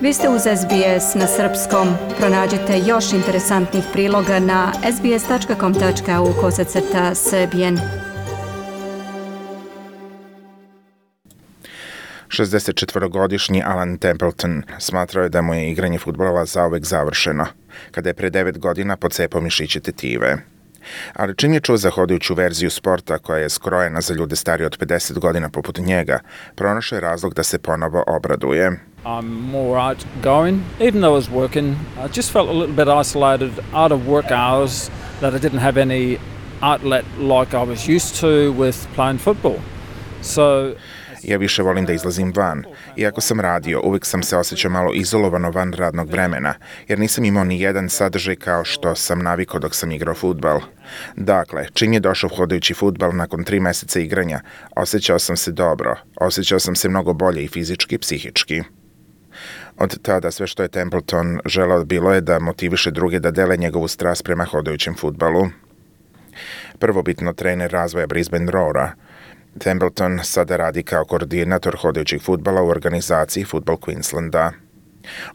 Vi ste uz SBS na srpskom. Pronađite još interesantnih priloga na sbs.com.au/srbijen. 64-godišnji Alan Templeton smatrao je da mu je igranje fudbala zauvek završeno, kada je pre 9 godina pocepao mišiće tetive. Ali čim je čuo za hodajuću verziju sporta koja je skrojena za ljude starije od 50 godina poput njega, pronašao je razlog da se ponovo obraduje. I'm more outgoing. Even though I was working, I just felt a little bit isolated out of work hours, that I didn't have any outlet like I was used to with playing football. Ja više volim da izlazim van. Iako sam radio, uvijek sam se osjećao malo izolovano van radnog vremena, jer nisam imao ni jedan sadržaj kao što sam navikao dok sam igrao fudbal. Dakle, čim je došao hodajući fudbal nakon 3 meseca igranja, osjećao sam se dobro, osjećao sam se mnogo bolje i fizički i psihički. Od tada sve što je Templeton želeo bilo je da motiviše druge da dele njegovu strast prema hodajućem fudbalu. Prvobitno trener razvoja Brisbane Roara, Templeton sada radi kao koordinator hodajućeg fudbala u organizaciji Football Queenslanda.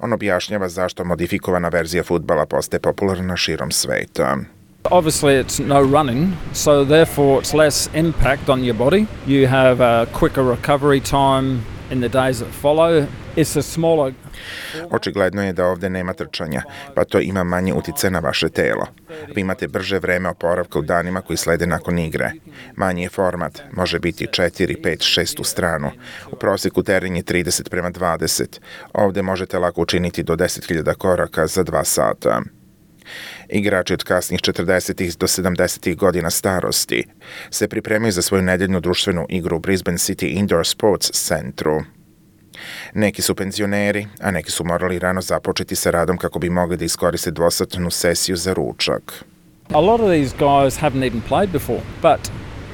On objašnjava zašto modifikovana verzija fudbala postaje popularna širom sveta. Obviously it's no running, so therefore it's less impact on your body. You have a quicker recovery time in the days that follow. It's a smaller... Očigledno je da ovdje nema trčanja, pa to ima manje utjecaj na vaše telo. Vi imate brže vreme oporavka u danima koji slede nakon igre. Manji je format, može biti 4, 5, 6 u stranu. U prosjeku teren je 30:20. Ovdje možete lako učiniti do 10.000 koraka za 2 sata. Igrači od kasnih 40. do 70. godina starosti se pripremaju za svoju nedeljnu društvenu igru u Brisbane City Indoor Sports centru. Neki su penzioneri, a neki su morali rano započeti sa radom kako bi mogli da iskoriste dvosatnu sesiju za ručak. A lot of these guys haven't even played before, but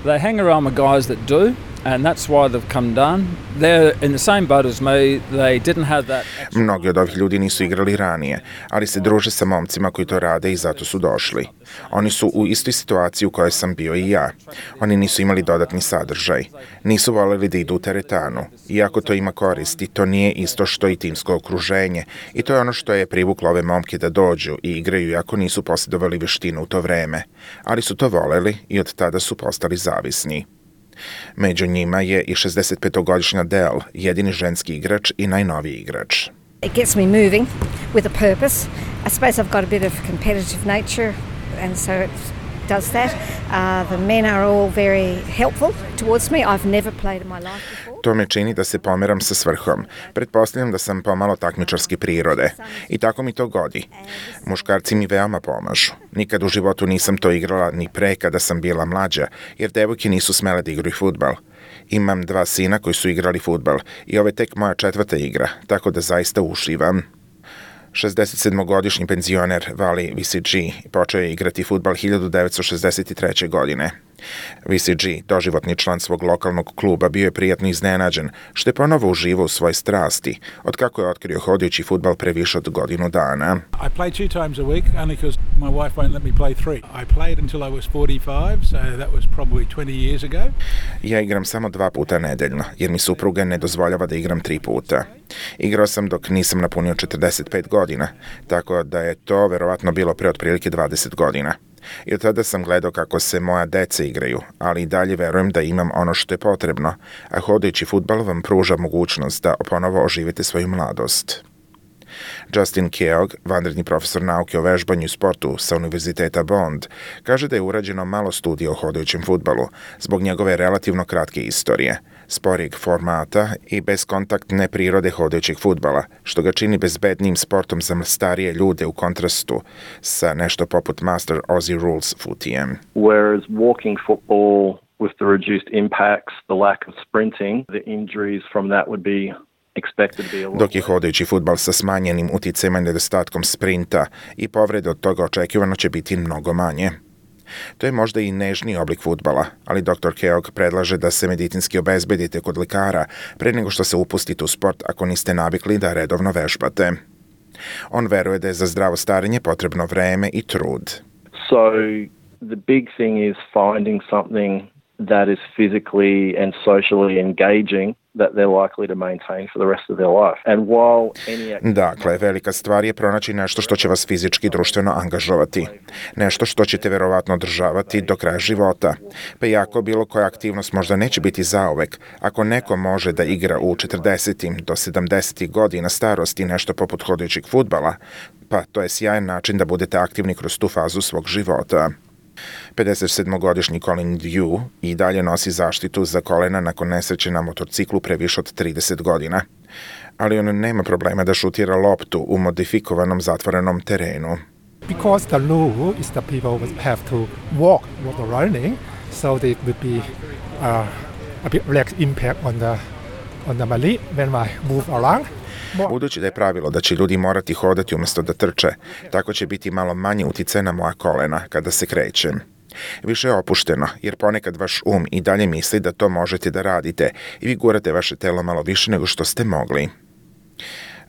they hang around with guys that do, and that's why they've come down. They're in the same boat as me. They didn't have that. Mnogi od ovih ljudi nisu igrali ranije, ali se druže sa momcima koji to rade i zato su došli. Oni su u istoj situaciji u kojoj sam bio i ja. Oni nisu imali dodatni sadržaj. Nisu voljeli da idu u teretanu. Iako to ima koristi, to nije isto što i timsko okruženje. I to je ono što je privuklo ove momke da dođu i igraju iako nisu posjedovali veštinu u to vreme. Ali su to voleli i od tada su postali zavisni. Među njima je i 65-godišnja Del, jedini ženski igrač i najnoviji igrač. It gets me moving with a purpose. I suppose I've got a bit of competitive nature and so it does that. The men are all very helpful towards me. I've never played in my life before. To me čini da se pomeram sa svrhom. Pretpostavljam da sam pomalo takmičarske prirode. I tako mi to godi. Muškarci mi veoma pomažu. Nikad u životu nisam to igrala ni pre kada sam bila mlađa, jer devojke nisu smele da igraju fudbal. Imam 2 sina koji su igrali fudbal i ovo je tek moja 4. igra, tako da zaista uživam. 67-godišnji penzioner Vali VCG počeo je igrati fudbal 1963. godine. VCG, doživotni član svog lokalnog kluba, bio je prijatno iznenađen što je ponovo uživao u svojoj strasti, od kako je otkrio hodajući fudbal pre više od godinu dana. I play 2 times a week only because my wife won't let me play 3. I played until I was 45, so that was probably 20 years ago. Ja igram samo 2 puta nedeljno, jer mi supruga ne dozvoljava da igram 3 puta. Igrao sam dok nisam napunio 45 godina, tako da je to verovatno bilo pre otprilike 20 godina. I od tada sam gledao kako se moja deca igraju, ali i dalje verujem da imam ono što je potrebno, a hodajući fudbal vam pruža mogućnost da ponovo oživite svoju mladost. Justin Keogh, vanredni profesor nauke o vežbanju i sportu sa Univerziteta Bond, kaže da je urađeno malo studija o hodajućem fudbalu zbog njegove relativno kratke istorije, sporijeg formata i bezkontaktne prirode hodajućeg fudbala, što ga čini bezbednijim sportom za starije ljude u kontrastu sa nešto poput Master Aussie Rules futijem. Whereas walking football with the reduced impacts, the lack of sprinting, the injuries from that would be dok je hodajući fudbal sa smanjenim uticajima i nedostatkom sprinta i povrede od toga očekivano će biti mnogo manje. To je možda i nežniji oblik fudbala, ali dr. Keogh predlaže da se medicinski obezbedite kod lekara pre nego što se upustite u sport ako niste navikli da redovno vežbate. On veruje da je za zdravo starenje potrebno vreme i trud. So the big thing is finding something that is physically and socially engaging that they're likely to maintain for the rest of their life. And while any Dakle, velika stvar je pronaći nešto što će vas fizički i društveno angažovati. Nešto što ćete verovatno održavati do kraja života. Pa iako bilo koja aktivnost možda neće biti zauvek, ako neko može da igra u 40. do 70. godina starosti nešto poput hodajućeg fudbala, pa to je sjajan način da budete aktivni kroz tu fazu svog života. 57-godišnji Colin Dew i dalje nosi zaštitu za kolena nakon nesreće na motorciklu pre više od 30 godina. Ali on nema problema da šutira loptu u modifikovanom zatvorenom terenu. Because the rule is that people would have to walk with the running, so there would be a bit less impact on the mallet when I move around. Budući da je pravilo da će ljudi morati hodati umjesto da trče, tako će biti malo manje uticaj na moja kolena kada se krećem. Više je opušteno, jer ponekad vaš i dalje misli da to možete da radite i vi gurate vaše telo malo više nego što ste mogli.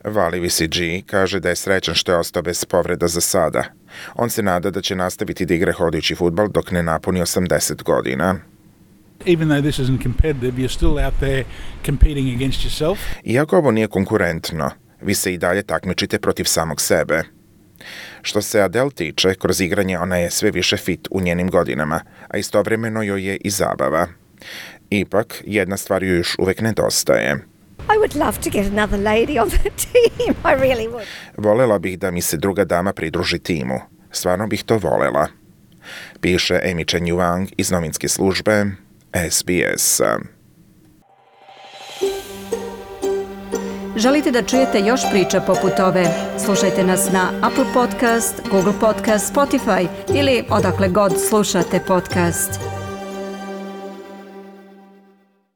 Vali VCG kaže da je srećan što je ostao bez povreda za sada. On se nada da će nastaviti da igra hodajući fudbal dok ne napuni 80 godina. Even though this isn't competitive, you're still out there competing against yourself. Iako ovo nije konkurentno, vi se i dalje takmičite protiv samog sebe. Što se Adele tiče, kroz igranje ona je sve više fit u njenim godinama, a istovremeno joj je i zabava. Ipak, jedna stvar joj još uvek nedostaje. I would love to get another lady on the team. I really would. Volela bih da mi se druga dama pridruži timu. Stvarno bih to volela. Piše Amy Chen Yuang iz novinske službe SBS. Želite da čujete još priča poput ove? Slušajte nas na Apple Podcast, Google Podcast, Spotify ili odakle god slušate podcast.